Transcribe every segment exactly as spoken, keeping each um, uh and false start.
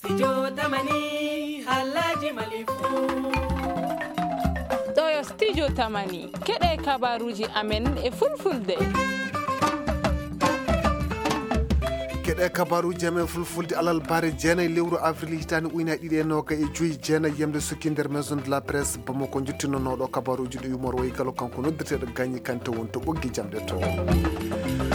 Studio Tamani, Halaji Malifu. Ɗo yo Studio Tamani, keɗe kabaruji amen e fulfulde. Keɗe kabaruji amen fulfulde alal bare jeenay lewru avril hitaande ujunaaji ɗiɗi e noogay e joyi, jeenay yamde sukki nder Maison de la Presse Bamako, njottinonooɗo kabaruji ɗo yumor wayi galo kanko noddeteeɗo Gagny Kanté woni to ɓoggi jamɗe to.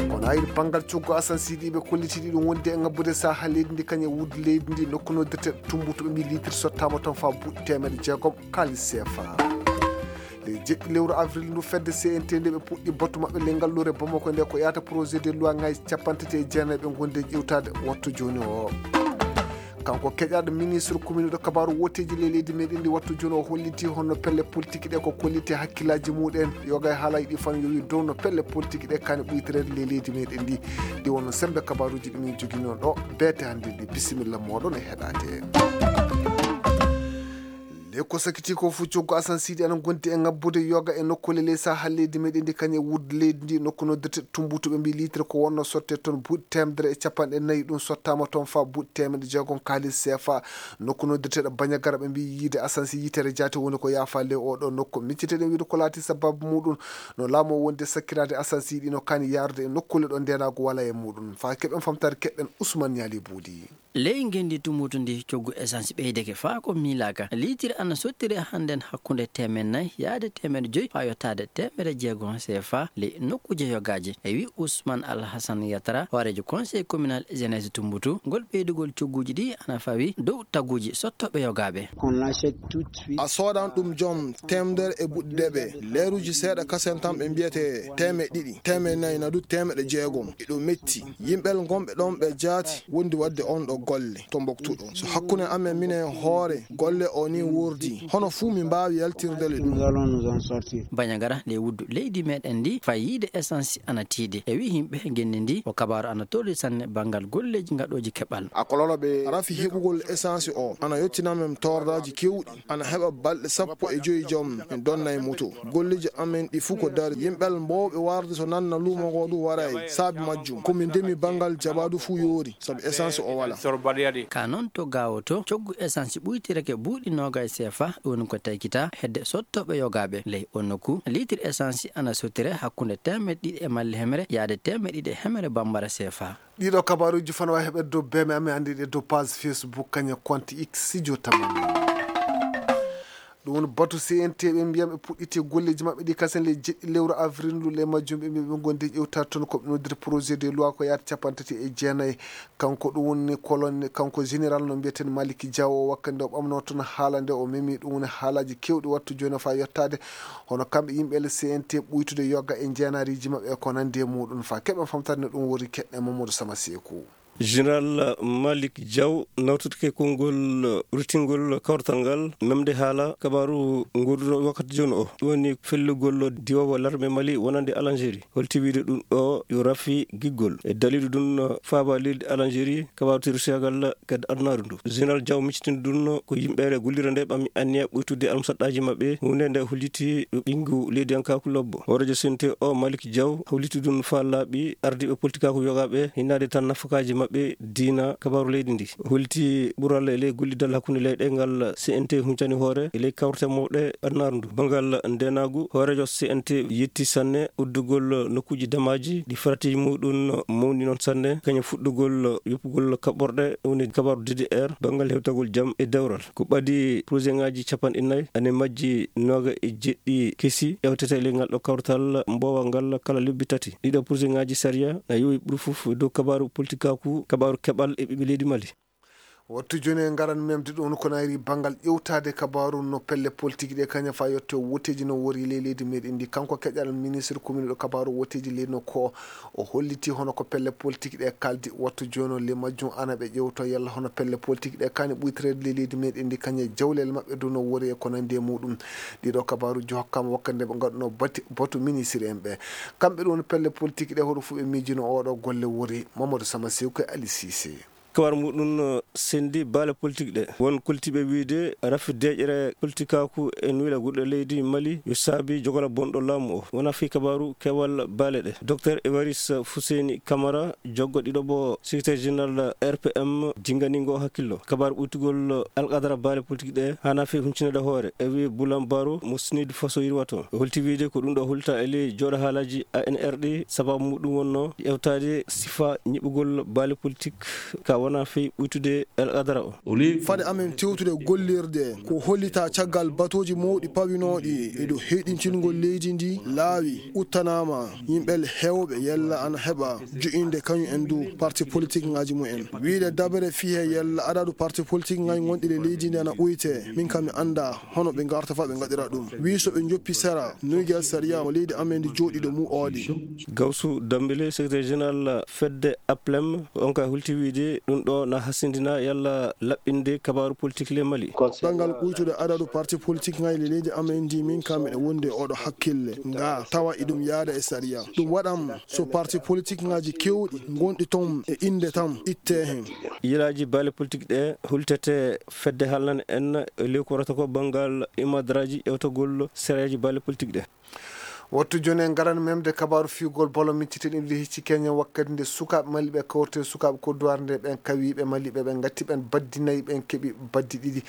Kono hayri banngal coggu Assane Sidi ɓe kolliti ɗiɗum wonde e ngabbude saha leydi ndi kañum e wudde leydi ndi nokku noddeteeɗo Tumbutu ɓe mbi litre sottaama toon faa buuɗi teemedde jeegom kaalis C F A. Ley jeɗɗi lewru avril ndu fedde C N T nde ɓe puɗɗi batu maɓɓe ley ngalluure Bamako nde ko yahata projet de loi ngaji capanɗe tati e jeenayi ɓe ngondi e ƴewtaade wattu jooni o. Kanko keƴaaɗo ministre commune ɗo kabaaru wooteeji ley leydi meɗen ndi wattu jooni o holliti honno pelle politique ɗe ko kolliti hakkillaaji muɗen yoga e haalaji ɗi fan yowi dow no pelle politique ɗe kani ɓuytereede ley leydi meɗen ndi. Ɗi wonno sembe kabaaruji ɗi min joginoo ɗo beete hannde ndi. Bisimilla mooɗon e heɗaade. Nde ko sakiti ko fuu coggu Assane Sidi ana gondi e ngabbude yoga e nokkuule ley saha leydi meɗen ndi kañum e wudde leydi ndi nokku noddirte Tumbutu ɓe mbi litre ko wonno sotte toon buuɗi teemedere e capanɗe nayi ɗum sottaama toon faa buuɗi teemedde jeegom kaalis C F A. Nokku noddirteeɗo Bañagara ɓe mbi yiide Assane Sidi yitere jaate woni ko yaafa ley oɗo nokku. Micciteɗen wiide ko laati sababu muɗum no laamu o wonde sakkiraade Assane Sidi no kani yaarude e nokkuule ɗo ndeenaagu wala e muɗum. Faa keɓen famtaade keɗɗen Ousmane Niali Buudi. Ley ngenndi Tumbutu ndi coggu essence ɓeydeke faa ko miilaaka. Liitiri ana sottiri hannden hakkunde teemeɗɗe nayi yaade teemeɗɗe joyi faa yottaade teemeɗɗe jeegom C F A ley nokkuuje yogaaji. E wi Ousmane Alhassan Yatara, hooreejo conseil communal jeunesse Tumbutu, ngol ɓeydugol cogguuji ɗi ana fawi dow taguuji sottooɓe yogaaɓe. A soodan ɗum joom teemedere e buuɗi deeɓe. Leeruuji seeɗa kasen tan ɓe mbiyete teemeɗɗe ɗiɗi, teemeɗɗe nayi na du teemeɗɗe jeegom. Eɗo metti. Yimɓe ngonɓe ɗon ɓe jaati wondi waɗde on ɗo golle to mboktuɗo. So hakkunde amen minen hoore golle o ni wurdi, hono fuu min mbaawi yaltirde le ɗum. Bañagara nde wuddu leydi meɗen ndi faa yiide essence ana tiiɗi. E wi yimɓe ngenndi ndi o kabaaru ana torri sanne banngal golleeji ngaɗooji keɓal. Rafi heɓugol essence o ana yottina men toordaaji keewɗi. Ana heɓa balɗe sappo e joyi joom en donnay moto. Golleeji amen ɗi fuu ko dari. Yimɓe mbowɓe warde to nanna luumo ngo du waray. Saabi majjum ko min ndemi banngal jabaadu fuu yoori sabu essence o wala. Ka noon to Gaawo to coggu essence ɓuytirake buuɗi noogay C F A, ɗum woni ko taykita hedde sottooɓe yogaaɓe. Ley on nokku litre essence ana sottire hakkunde teemeɗɗe ɗiɗi e malle hemre yaade teemeɗɗe ɗiɗi e hemre bambara C F A. Ɗiɗo kabaaruuji fana wawi heɓede dow beme amen, anndi ɗe dow page Facebook kañe compte X Studio Tamani. Ɗum woni batu C N T ɓe mbiyam ɓe puɗɗiti golleeji maɓɓe ɗi kasen le jeɗɗi lewru avril ndu le majjum ɓe mbiya ɓe gondi e ƴewtaade toon ko ɓe noddiri projet de loi ko yaata capanɗe tati e jeenayi. Kanko ɗum woni colonel, kanko général no mbiyeten Malick Diaw o wakkande o ɓamno toon haala nde o memi ɗum woni haalaaji kewɗi wattu jooni faa yottaade. Hono kamɓe yimɓe le C N T ɓuytude yoga e jeenaariiji maɓɓe e ko nanndi e muɗum faa keɓen famtade no ɗum woni keɗɗe Mamadou Sama Seeku. Général Malick Diaw nawtotake konngol rutingol kawrital ngal memde haala kabaaru ngorduɗo wakkati jooni o. Ɗum woni fellugol diwoowo larme Mali wonande Algérie. Holti wiide ɗum ɗo yo rafi giggol. E daliilu ɗum faaba leydi Algérie kabaaru terroristagal kadi adunaaru ndu. Général Diaw miccitini ɗum ko yimɓe gollira nde ɓammi anniya ɓuytude almusaɗɗaaji maɓɓe. Huunde nde holliti ɓinngu leydiyankaaku lobbo. Hooreejo C N T o Malick Diaw holliti ɗum faa laaɓi ardiiɓe politikaaku yogaaɓe hinnaade tan nafakaaji maɓɓe diina kabaaru leydi ndi. Holliti ɓural e ley gollidal hakkunde leyɗe ngal C N T huncani hoore e ley kawrite mawɗe adunaaru ndu. Banngal ndeenaagu, hooreejo C N T yetti sanne uddugol nokkuuji damaaji ɗi faratiiji muɗum mawni noon sanne, kañum fuɗɗugol yoppugol kaɓɓorɗe, woni kabaaru D D R, banngal hewtagol jam e dewral. Ko ɓadi projet ŋaaji capanɗe nayi, ane majji nooga e jeɗɗi kesi ƴewtete e ley ngal ɗo kawrital mboowal ngal kala lebbi tati. Ɗiɗo projet ŋaaji sariya na yowi ɓuri fof dow kabaaru politikaaku, kabaaru keɓal e ɓiɓɓe leydi Mali. Wattu jooni en ngaran memde ɗum ko nayri banngal ƴewtaade kabaaru no pelle politique ɗe kaña faa yotte wooteeji no wori ley leydi meɗen ndi. Kanko keƴal ministre commune ɗo kabaaru wooteeji leydi no ko o holliti hono ko pelle politique ɗe kaldi wattu jooni o le majjum ana ɓe ƴewto yalla hono pelle politique ɗe kani ɓuytoreede ley leydi meɗen ndi kaña jawlel maɓɓe dow no wori e ko nandi e muɗum. Ɗiɗo kabaaruji hokkama wakkati nde ɓe ngaɗuno batu, batu ministre en ɓe. Kamɓe ɗum woni pelle politique ɗe hoto fuu ɓe miijino oɗo golle wori. Mamadou Sama Sew ko e Ali Cissé. Kabaru muɗum, eh, sendi baale politik ɗe. Won koltiiɓe wiyde rafi deeƴre politikaaku e nuyla gurɗe leydi Mali yo saabi jogola bonɗo laamu o. Wona fii kabaru keewal baale ɗe. Docteur Évariste Fousseini Camara, joggo ɗiɗo bo secrétaire général R P M, jinngani ngo hakkillo. Kabaru ɓuytugol alqadara baale politik ɗe hana fii huncinaade hoore. E wi Bulan Baro mo Snid Faso yirwato. O holti wiyde ko ɗum ɗo hulta e ley jooɗo haalaaji A N R ɗi, sababu muɗum wonno ƴeewtaade sifa ñiɓugol baale politik ka wona fii ɓuytude alqadara o. Fade amen tewtude gollirde, ko hollita caggal batooji mawɗi pawinooɗi e dow heyɗintingol leydi ndi laawi uttanaama, yimɓe heewɓe yalla ana heɓa joƴƴinde kañum en du parti politik ŋaaji mumen. Wiyde dabere fii he yalla adadu parti politik ŋaaji gonɗi e leydi ndi ana ɓuyte, min kam mi annda hono ɓe ngarta fa ɓe ngaɗira ɗum. Wi so ɓe njoppi sera, nuygal sariya mo leydi amen ndi jooɗi ɗo mu oɗi. Gawsu Dambele, secrétaire général fedde Aplem, on ka hulti wiyde ɗum ɗo na hasindina yalla laɓɓinde kabaru politik le Mali. Banngal ɓuytude adadu parti politik ŋaaji le leydi amen ndi, min kam miɗo wondi e oɗo hakkille nga tawa iɗum yaada e sariya. Ɗum waɗam so parti politik ŋaaji kewɗi gonɗi toon e innde tan itte heen. Yilaaji baale politik ɗe hultete fedde halnan en e ley ko wonata ko banngal imadraji ƴewtagol sariyaaji baale politik ɗe. Wattu jooni en ngaran memde kabaaru fiyugol ballon micciteɗen ɗi hecci Kenya wakkati nde sukaaɓe Mali ɓe kawrite sukaaɓe kodduwaare nde ɓen kawiiɓe Mali ɓe ɓe ngatti ɓen baddi nayi ɓen keɓi baddi ɗiɗi.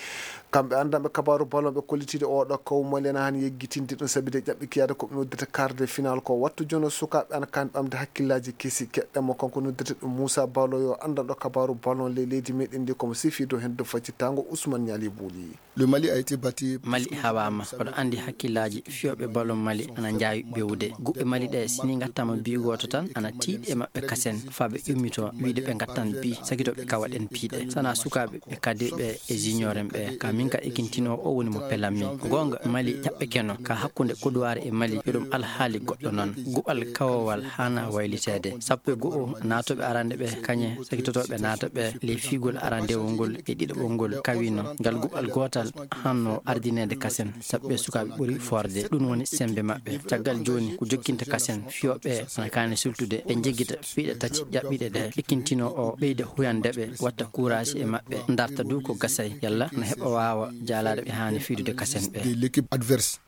Kamɓe anndanɓe kabaaru ballon ɓe kollitiiɗe oo ɗoo kawu Mali ena haani yeggitinde ɗum sabi de ƴaɓɓi kiyaade ko ɓe noddata quart de finale ko wattu jooni sukaaɓe ana kaani ɓamde hakkillaaji kesi keɗɗen mo kanko noddata ɗum Moussa Baloyo anndanɗo kabaaru ballon ley leydi meɗen ndi komo sifi dow heen dow faccittaango Ousmane Niali Bouli. Le Mali a été battu. Mali hawaama. Oɗo anndi hakkillaaji fiyooɓe ballon Mali ana njaawi bewude. Guɓɓe Mali ɗe, si ni ngattaama bi gooto tan, ana tiiɗi e maɓɓe kasen, faa ɓe ƴummitoo, wiide ɓe ngattan bi, sakitoo ɓe kawaɗen bi ɗe. Sanaa sukaaɓe ɓe kadirɓe e junior en ɓe, ka min ka ekintinoo o woni mo pelammi. Goonga, Mali ƴaɓɓekeno, ka hakkunde Kodowari e Mali, yo ɗum alhaali goɗɗo non. Guɓal kawowal haana wayliteede. Sappo e go'o naatooɓe arande ɓe, kañe sakitotooɓe naata ɓe, ley fiyugol arandewol ngol e ɗiɗaɓol ngol kawino. Ngal guɓal gootal hanno ardineede kasen, sabu ɓe sukaaɓe ɓuri forde. Ɗum woni sembe maɓɓe. Caggal jooni, ko jokkinta kasen, fiyooɓe ana kaani sultude, ɓe njejjita piiɗe tati ƴaɓɓiiɗe ɗe. Ekintino o ɓeyda huyande ɓe, watta kuuraaji e maɓɓe, ndarta du ko gasay, yalla na heɓa waawa jaalaade ɓe haani fiydude kasen ɓe. De l'équipe adverse.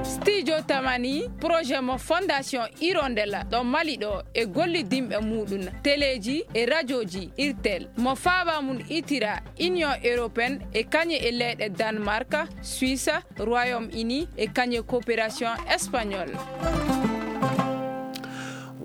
Studio Tamani, projet mo Fondation Hirondelle ɗo Mali ɗo e gollidinɓe muɗum, teleeji e rajooji Irtel, mo faaba mum itira Union Européenne e kañe e leyɗe Danemark, Suisse, Royaume-Uni e kañe coopération espagnole.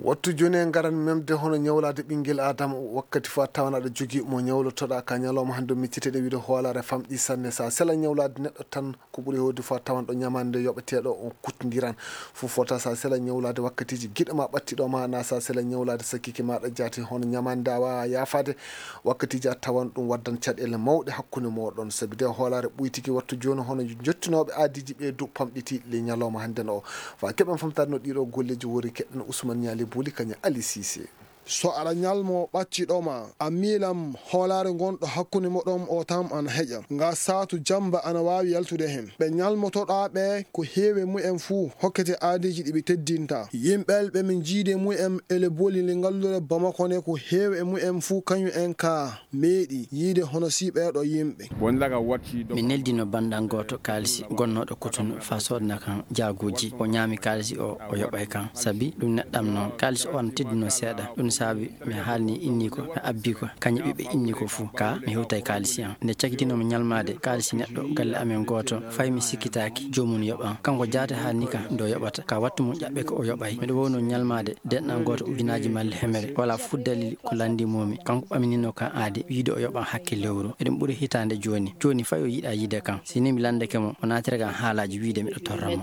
Wattu jooni en ngaran memde hono ñawlaade ɓinngel Aadama wakkati fof a tawan aɗa jogii mo ñawlotoɗaa ka ñalawma hannde o micciteɗe wiide hoolaare famɗi sanne. So a sela ñawlaade neɗɗo tan ko ɓuri heewde fof a tawan ɗo ñamaande nde yoɓeteeɗo on kutndiran. Fof fota so a sela ñawlaade wakkatiiji giɗo ma ɓattiɗo ma na so a sela ñawlaade sakkike maɗa jaati hono ñamaande nde a waawa yaafaade. Wakkatiiji a tawan ɗum waddan caɗeele mawɗe hakkunde mooɗon. Sabi de hoolaare ɓuytiki wattu jooni hono jottinooɓe aadiiji ɓee du pamɗiti le ñalawma hannde no o. Fa keɓen famtaade no ɗiɗo golleeji wori keɗɗen Ousmane Niali Bouli kañum Ali Cissé. So aɗa ñalmo ɓacciɗo ma, a miilam hoolaare ngonɗo hakkunde moɗon o tan ana heƴa. Nga saatu jamba ana waawi yaltude heen. Ɓe ñalmotoɗaa ɓe ko heewi e mumen fuu hokkete aadiiji ɗi ɓe teddinta. Yimɓe ɓe min njiidi e mumen ele boli le ngallure Bamako ne ko heewi e mumen fuu kañum en ka meeɗi yiide hono si ɓeeɗo yimɓe. Min neldino banndan gooto kaalisi gonnooɗo Kotonu faa soodana kan jaaguuji. O ñaami kaalisi o, o yoɓay kan. Sabi ɗum neɗɗam noon. Kaalisi o ana teddunoo seeɗa. Ɗum saabi mi haalni inni ko, mi abbi ko, kañum ɓiɓɓe inni ko fuu. Ka mi hewtay kaalisi an. Nde cakitinoo mi ñalmaade kaalisi neɗɗo galle amen gooto, fay mi sikkitaaki joomum yoɓan. Kanko jaate haalni kan nde o yoɓata. Ka wattu mum ƴaɓɓe ko o yoɓay. Miɗo wowno ñalmaade denɗan gooto ujunaaji malli hemere. Walaa fuu dalil ko lanndii moo mi. Kanko ɓaminino kan aadi, wiide o yoɓan hakke lewru. Eɗum ɓuri hitaande jooni. Jooni fay o yiɗaa yiide kan. Si ni mi lanndake mo, o naatira kan haalaaji wiide miɗo torra mo.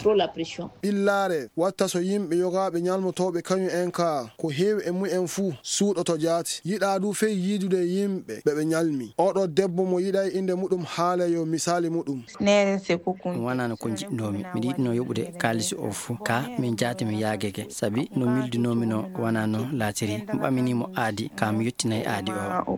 Ɓillaare, watta so yimɓe yogaaɓe ñalmotooɓe kañum en ka, ko heewi e mumen fuu suuɗoto jaati. Yiɗaa du fey yiidude yimɓe ɓe ɓe ñalmi. Oɗo debbo mo yiɗay innde muɗum haala yo misaali muɗum. Ɗum wanaano ko njiɗnoomi. Miɗo yiɗnoo yoɓude kaalisi o fuu. Ka min jaati mi yaagake, sabi no miildinoomi no wanaa no laatiri. Mi ɓamini mo aadi, ka mi yottinay aadi o.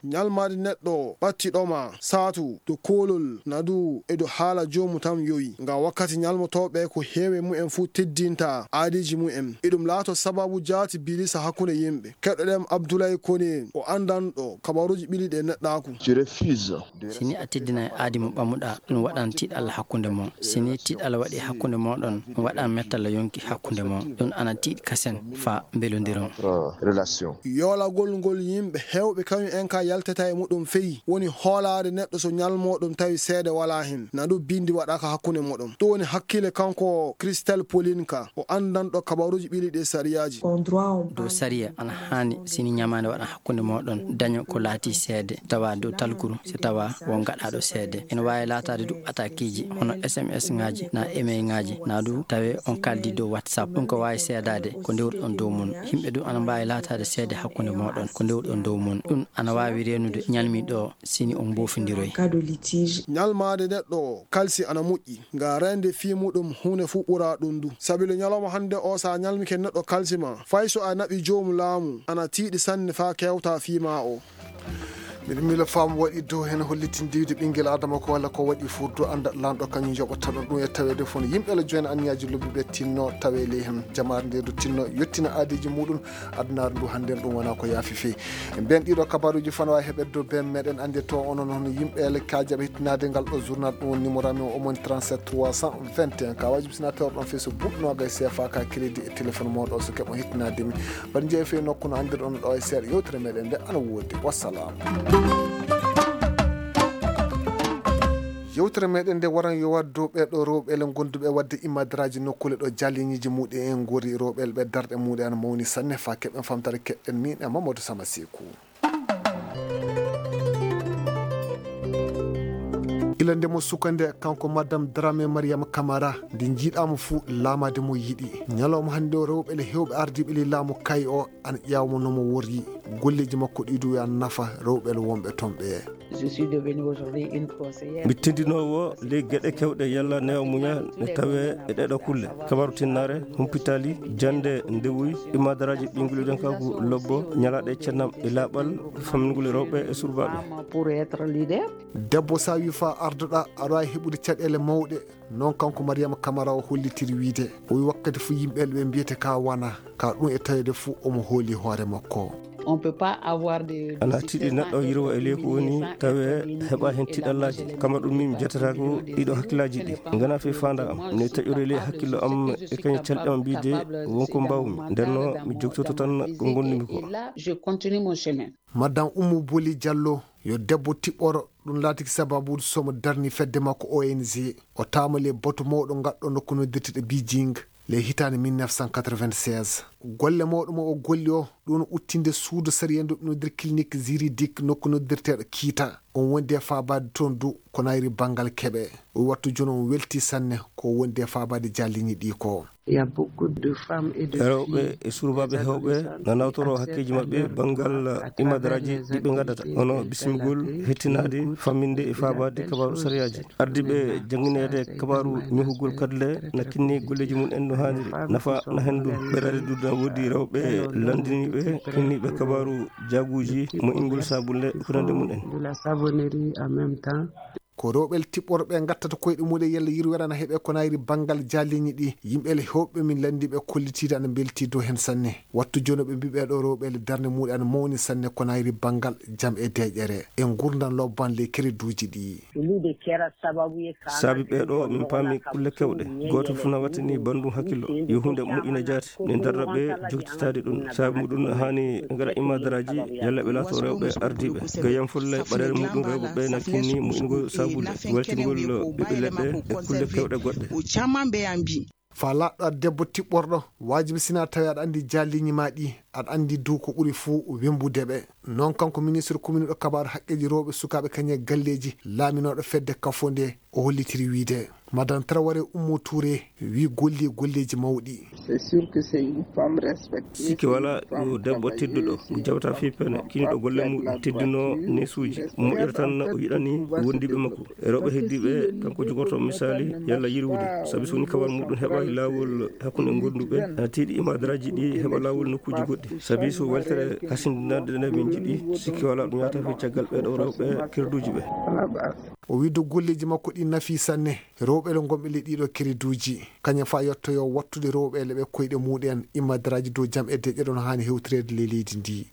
Ñalmaade neɗɗo ɓattiɗo ma, saatu, to koolol, na du e do haala joomu tan yowi. Nga wakkati ñalmotooɓe ko heewi mumen fuu teddinta aadiiji mumen. Eɗum laato sababu jaati bilisa hakkunde Yimɓe keɗoɗen Abdoulaye Kone, o anndanɗo kabaruuji ɓiliɗi e neɗɗaaku. Si ni a teddinay aadi mo ɓamuɗaa, ɗum waɗan tiiɗalla hakkunde mon. Si ni tiiɗalla waɗi hakkunde mooɗon, ɗum waɗan mettalla yonki hakkunde mon. Ɗum ana tiiɗi kasen faa mbelondiron. Relation. Yoolagol ngol yimɓe heewɓe kañum en ka yaltata e muɗum feyi, woni hoolaade neɗɗo so ñalmooɗum tawi seede walaa hen, na ɗum bindi waɗaaka hakkunde muɗum. Ɗum woni hakkille kanko Christel Polinka, o anndanɗo kabaruuji ɓiliɗi e sariyaaji. Dow sariya ana haani si ni ñamaande waɗan hakkunde mooɗon, daño ko laatii seede, tawa dow talkuru, si tawa won gaɗaaɗo seede. Ene waawi laataade du atakiiji, hono S M S ŋaaji, na email ŋaaji, na du tawe on kaldi dow WhatsApp. Ɗum ko waawi seedaade ko ndewruɗon dow mun. Yimɓe du ana mbaawi laataade seede hakkunde mooɗon ko ndewruɗon dow mun. Ɗum ana waawi reenude ñalmiiɗo si ni on mboofindiroy. Cas de litige. Ñalmaade neɗɗo kalsi ana moƴƴi, nga reende fii muɗum huunde fuu ɓuraa ɗum du. Sabi le ñalawma hannde o, so a ñalmike neɗɗo kalsi ma, fay so a naɓi joomu laamu, ana tiiɗi sanne faa kewtaa fii maa o. Miɗo miila faamu waɗi dow heen hollitin diwde ɓinngel Adama ko walla ko waɗi furdu annda laamɗo kañum yoɓata ɗum. Ɗum e taweede fof no yimɓe la jooni anniyaaji lobbi ɓe tinno tawe ley heen jamaare nde du tinno yettina aadiiji muɗum. Adunaaru ndu hannde ɗum wonaa ko yaafi fii. Ɓeen ɗiɗo kabaruuji fana waawi heɓeede dow been meɗen annde to onon hono yimɓe ele kaajaɓe hittinaade ngal ɗo journal ɗum woni numéro amen o moni trente-sept trois cent vingt et un ka wajibi sina tawr ɗon fii so buɗɗunooga e C F A ka crédit e téléphone mooɗo so keɓo hittinaade mi. Mbaɗa jeeyi fii nokku no anndirɗon ɗo e seeɗa yewtere meɗen nde ana woodi. Wassalam. Yewtere meɗen nde waran yo waɗ dow ɓeeɗo rewɓe ele gonduɓe waɗde imadraaji nokkuule ɗo jaaliniiji muɗum en ngori rewɓe ele ɓe darɗe muɗum ana mawni sanne faa keɓen famtare keɗɗen min e Mamadou Sama Seku. Ila nde mo sukande kanko Madame Dramé Mariama Camara nde njiiɗaama fuu laamaade mo yiɗi. Ñalawma hannde o rewɓe ele heewɓe ardiiɓe ley laamu kay o ana ƴeewa mo no mo wori. Golleeji makko ɗi du ana nafa rewɓe ele wonɓe toon ɓe. Je suis devenue aujourd'hui une conseillère. Mi tindinoowo ley geɗe kewɗe yalla newa muña ne tawe e ɗeɗo kulle. Kabaru tinnaare, humpitaali, jannde ndewuy, imadaraaji ɓiyngol idankaaku lobbo, ñalaaɗe cennam e laaɓal, fammingol rewɓe e surbaaɓe. Pour être leader. Debbo sa wi fa ardoɗa, aɗa waawi heɓude caɗeele mawɗe. Noon kanko Mariama Kamara o hollitiri wiide, o wi wakkati fof yimɓe ɓe mbiyete ka wana, ka ɗum e taweede fof omo hooli hoore makko. On peut pas avoir de. Ana tiiɗi neɗɗo yirwa e leyku woni tawe heɓa heen tiiɗallaaji. Kama ɗum min jatata ko ɗiɗo hakkillaaji ɗi ngana fe faanda am. Ne taƴori ley hakkillo am e kañum calɗi am mbiide wonko mbawmi. Nden no mi jogtoto tan ko ngondumi ko. Et là, je continue mon chemin. Madame Oumou Boli Diallo yo debbo tiɓɓoro, ɗum laatiki sababu somo darni fedde makko O N G. O taama ley batu mawɗo ngatɗo nokku noddirteɗo Beijing ley hitaande mille neuf cent quatre-vingt-seize. Golle mawɗo mo o golli o, ɗum uttinde suudu sariya ndu noddir clinique juridique nokku noddirteɗo Kiita. On wondi e faabaade toon du ko nayri banngal keɓe. O wattu jooni on welti sanne ko wondi e faabaade jaalliñi ɗi ko. Il y a beaucoup de femmes et de rewɓe filles e surbaaɓe heewɓe na nawtoro hakkeeji maɓɓe banngal imadaraaji ɗi ɓe ngaddata, hono bismigol, hettinaade, famminde e faabaade kabaaru sariyaaji. Ardiiɓe janngineede kabaaru ñohugol kadle na kinni golleeji mum en no haaniri. Nafa na heen ɗum. Ɓerɗe ɗuuɗi na woodi rewɓe lanndiniiɓe, kinniiɓe kabaaru jaaguuji, mo'ingol saabunnde e ko nanndi mum en. De la savonnerie en même temps. Ko rewɓe tiɓɓorɓe ngattata koyɗe muɗum yalla yirwere na heɓe ko nayri banngal jaalliñi ɗi. Yimɓe le heewɓe min lanndiiɓe kollitiiɗe ana mbeltii dow heen sanne. Wattu jooni ɓe mbii ɓeeɗo rewɓe le darnde muɗum ana mawni sanne ko nayri banngal jam e deeƴere e ngurndan lobban le kereduuji ɗi. Saabi ɓeeɗo min paami kulle kewɗe. Gooto fof na wattini banndum hakkillo. Yo huunde moƴƴina jaati. Min darra ɓe joktitaade ɗum. Saabi muɗum haani ngaɗa imadaraaji yalla ɓe laato rewɓe ardiiɓe. Gayam fulla e ɓaɗeere muɗum rewɓe ɓe na kinni moƴƴingol saabulle, weltingol ɓiɓɓe leɗɗe e kulle kewɗe goɗɗe. Fa laaɗɗo aɗa debbo tiɓɓorɗo, waajibi sina tawi aɗa anndi jaalliñi ma ɗi, aɗa anndi dow ko ɓuri fuu wembude ɓe. Noon kanko ministre commune ɗo kabaaru haqqeeji rewɓe sukaaɓe kañe galleeji, laaminooɗo fedde kafo nde, o hollitiri wiide. Madame Traoré Oumou Touré wi golli golleeji mawɗi. C'est sûr que c'est une femme respectée. Sikke wala yo debbo tedduɗo, mo jawta fii pene, kiniɗo golle muɗum, teddino neesuuji, moƴƴata tan o yiɗani wondiiɓe makko. E rewɓe heddiiɓe, kanko jogorto misali yalla yirwude. Sabi so woni kawal muɗum heɓa laawol hakkunde gonduɓe, ana tiiɗi imadaraaji ɗi heɓa laawol nokkuuji goɗɗi. Sabi so weltere hasindinaade nde min njiɗi, sikke wala ɗum yahata fii caggal ɓeeɗo rewɓe kerduuji ɓe. O wi dow golleeji makko ɗi nafi sanne. Rewɓe le gomɓe ley ɗiɗo kereduuji, kañum fa yottoyo wattude rewɓe le ɓe koyɗe muɗen, immadaraaji dow jam e deƴƴe ɗon haani hewtireede ley leydi ndi.